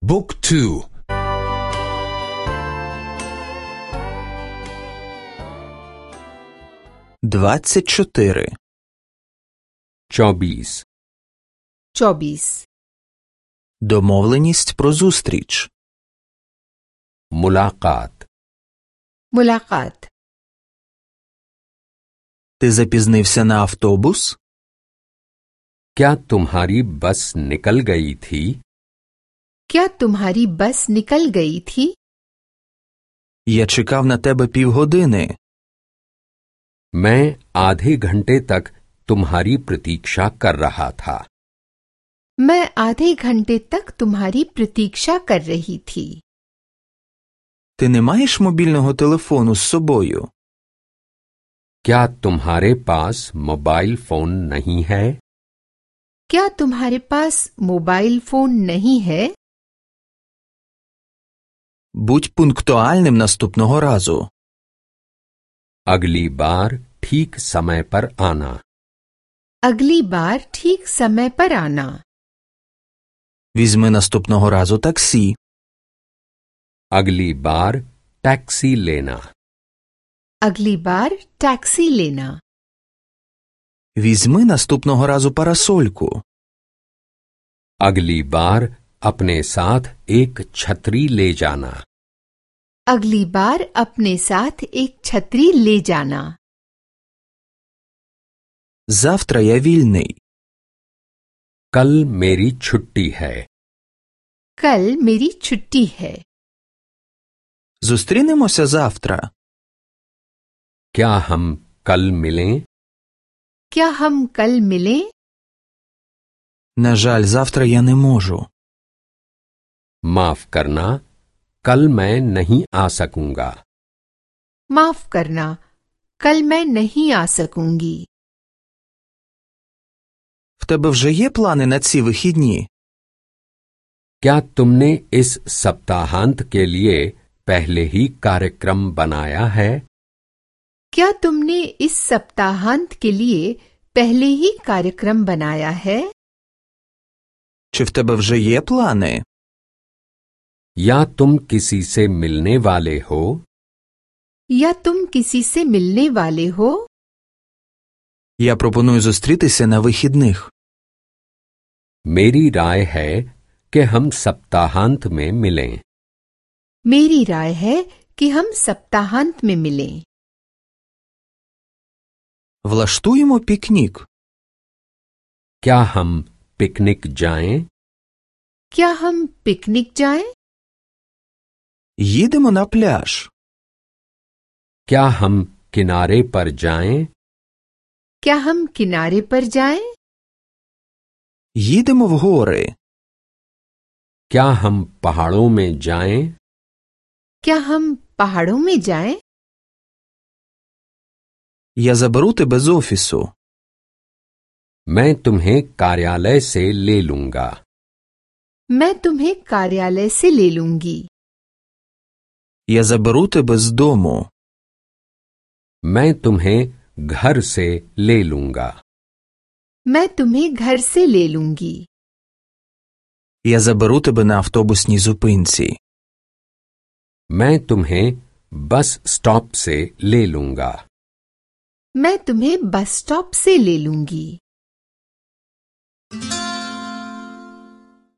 บุ๊กทู24 24 Домовленість про зустріч. मुलाकात Ти запізнився на автобус? क्या तुम्हारी बस निकल गई थी? क्या तुम्हारी बस निकल गई थी? Я чекав на тебе півгодини. मैं आधे घंटे तक तुम्हारी प्रतीक्षा कर रहा था। मैं आधे घंटे तक तुम्हारी प्रतीक्षा कर रही थी। Ти не маєш мобільного телефону з собою? क्या तुम्हारे पास मोबाइल फोन नहीं है? क्या तुम्हारे पास मोबाइल फोन नहीं है? Будь пунктуальним наступного разу. अगली बार ठीक समय पर आना। अगली बार ठीक समय पर आना। Візьми наступного разу таксі. अगली बार टैक्सी लेना। अगली बार टैक्सी लेना। Візьми наступного разу парасольку. अगली बार अपने साथ एक छतरी ले जाना। अगली बार अपने साथ एक छतरी ले जाना। Завтра я вільний. कल मेरी छुट्टी है। कल मेरी छुट्टी है। Зустрінемося завтра. क्या हम कल मिलें? क्या हम कल मिलें? На жаль, завтра я не можу. माफ करना, कल मैं नहीं आ सकूंगा। माफ करना, कल मैं नहीं आ सकूंगी। В тебе вже є плани на ці вихідні? क्या तुमने इस सप्ताहांत के लिए पहले ही कार्यक्रम बनाया है? क्या तुमने इस सप्ताहांत के लिए पहले ही कार्यक्रम बनाया है? Чи в тебе вже є плани? या तुम किसी से मिलने वाले हो? या तुम किसी से मिलने वाले हो? Я пропоную зустрітися на вихідних. मेरी राय है कि हम सप्ताहांत में मिलें। मेरी राय है कि हम सप्ताहांत में मिलें। Влаштуємо пікнік. क्या हम पिकनिक जाएं? क्या हम पिकनिक जाएं? Їдемо на пляж. क्या हम किनारे पर जाएं? क्या हम किनारे पर जाएं? Їдемо в гори. क्या हम पहाड़ों में जाएं? क्या हम पहाड़ों में जाएं? Я заберу тебе з офісу. मैं तुम्हें कार्यालय से ले लूंगा। मैं तुम्हें कार्यालय से ले लूंगी। Я заберу тебе з дому. मैं तुम्हें घर से ले लूंगा। मैं तुम्हें घर से ले लूंगी। Я заберу тебе на автобусній зупинці. मैं तुम्हें बस स्टॉप से ले लूंगा। मैं तुम्हें बस स्टॉप से ले लूंगी।